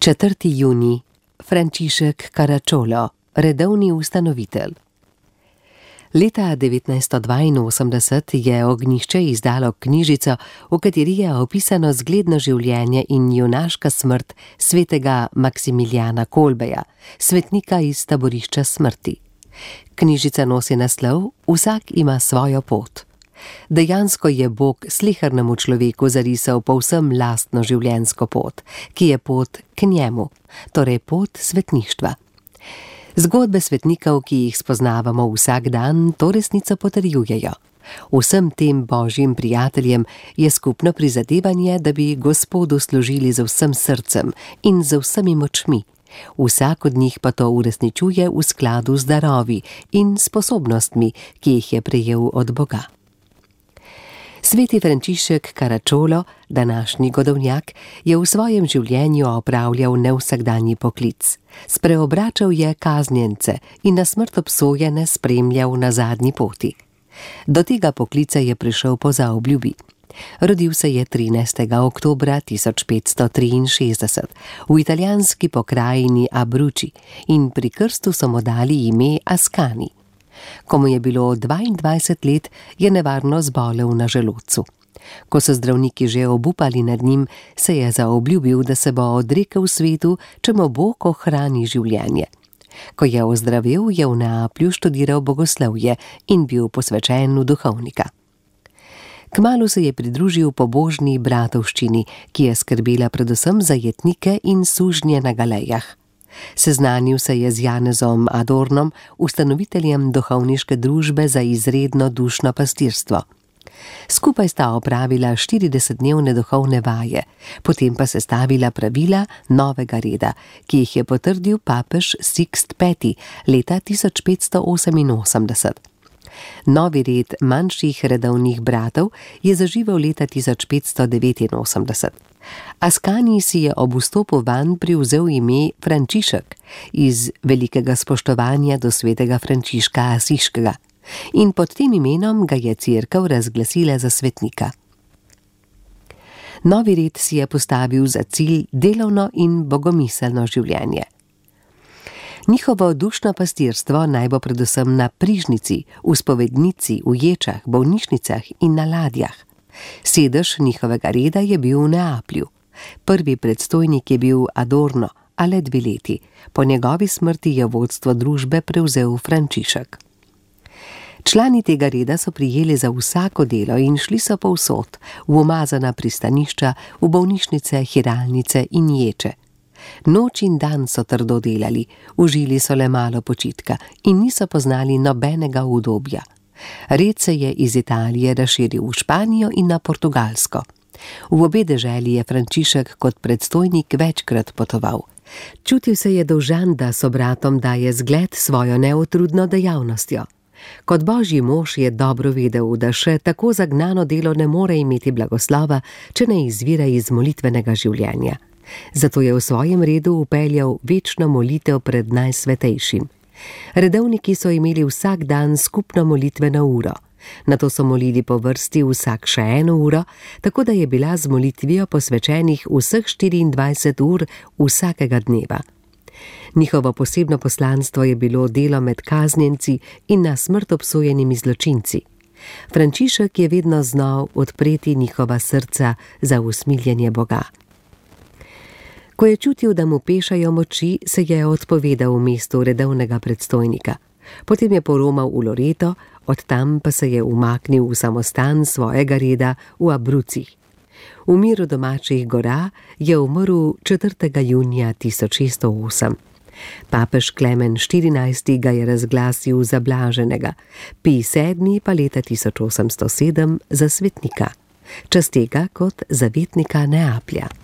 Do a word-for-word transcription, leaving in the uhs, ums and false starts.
četrtega junija, Frančišek Caracciolo, redovni ustanovitelj. Leta devetnajststo dvainosemdeset je Ognjišče izdalo knjižico, v kateri je opisano zgledno življenje in junaška smrt svetega Maksimilijana Kolbeja, svetnika iz taborišča smrti. Knjižica nosi naslov Vsak ima svojo pot. Dejansko je Bog slehernemu človeku zarisal povsem lastno življenjsko pot, ki je pot k njemu, torej pot svetništva. Zgodbe svetnikov, ki jih spoznavamo vsak dan, to resnico potrjujejo. Vsem tem božjim prijateljem je skupno prizadevanje, da bi Gospodu služili z vsem srcem in z vsemi močmi. Vsak od njih pa to uresničuje v skladu z darovi in sposobnostmi, ki jih je prejel od Boga. Sveti Frančišek Caracciolo, današnji godovnjak, je v svojem življenju opravljal nevsakdanji poklic. Spreobračal je kaznjence in na smrt obsojene spremljal na zadnji poti. Do tega poklica je prišel po zaobljubi. Rodil se je trinajstega oktobra tisoč petsto triinšestdeset v italijanski pokrajini Abruzzi in pri krstu so mu dali ime Ascani. Ko mu je bilo dvaindvajset let, je nevarno zbolel na želodcu. Ko so zdravniki že obupali nad njim, se je zaobljubil, da se bo odrekel svetu, če mu Bog ohrani življenje. Ko je ozdravel, je v Neaplju študiral bogoslovje in bil posvečen v duhovnika. Kmalu se je pridružil pobožni bratovščini, ki je skrbela predvsem za jetnike in sužnje na galejah. Seznanil se je z Janezom Adornom, ustanoviteljem duhovniške družbe za izredno dušno pastirstvo. Skupaj sta opravila štiridesetdnevne duhovne vaje, potem pa sestavila pravila novega reda, ki jih je potrdil papež Sixt peti leta tisoč petsto oseminosemdeset. Novi red manjših redovnih bratov je zaživel leta tisoč petsto devetinosemdeset. Ascani si je ob vstopu vanj privzel ime Frančišek iz velikega spoštovanja do svetega Frančiška Asiškega in pod tem imenom ga je cerkev razglasila za svetnika. Novi red si je postavil za cilj delovno in bogomiselno življenje. Njihovo dušno pastirstvo naj bo predvsem na prižnici, v spovednici, v ječah, bolnišnicah in na ladjah. Sedež njihovega reda je bil v Neaplju. Prvi predstojnik je bil Adorno, a le dve leti. Po njegovi smrti je vodstvo družbe prevzel Frančišek. Člani tega reda so prijeli za vsako delo in šli so povsod, v umazana pristanišča, v bolnišnice, hiralnice in ječe. Noč in dan so trdo delali, užili so le malo počitka in niso poznali nobenega udobja. Red se je iz Italije razširil v Španijo in na Portugalsko. V obe deželi je Frančišek kot predstojnik večkrat potoval. Čutil se je dolžan, da so bratom daje zgled svojo neutrudno dejavnostjo. Kot božji mož je dobro vedel, da še tako zagnano delo ne more imeti blagoslova, če ne izvira iz molitvenega življenja. Zato je v svojem redu vpeljal večno molitev pred najsvetejšim. Redovniki so imeli vsak dan skupno molitveno uro. Nato so molili po vrsti vsak še eno uro, tako da je bila z molitvijo posvečenih vseh štiriindvajset ur vsakega dneva. Njihovo posebno poslanstvo je bilo delo med kaznjenci in na smrt obsojenimi zločinci. Frančišek je vedno znal odpreti njihova srca za usmiljenje Boga. Ko je čutil, da mu pešajo moči, se je odpovedal v mestu redovnega predstojnika. Potem je poromal v Loreto, od tam pa se je umaknil v samostan svojega reda v Abruzzih. V miru domačih gora je umrl četrtega junija tisoč šeststo osem. Papež Klemen štirinajsti ga je razglasil za blaženega, Pij sedmi pa leta tisoč osemsto sedem za svetnika, čez tega kot zavetnika Neaplja.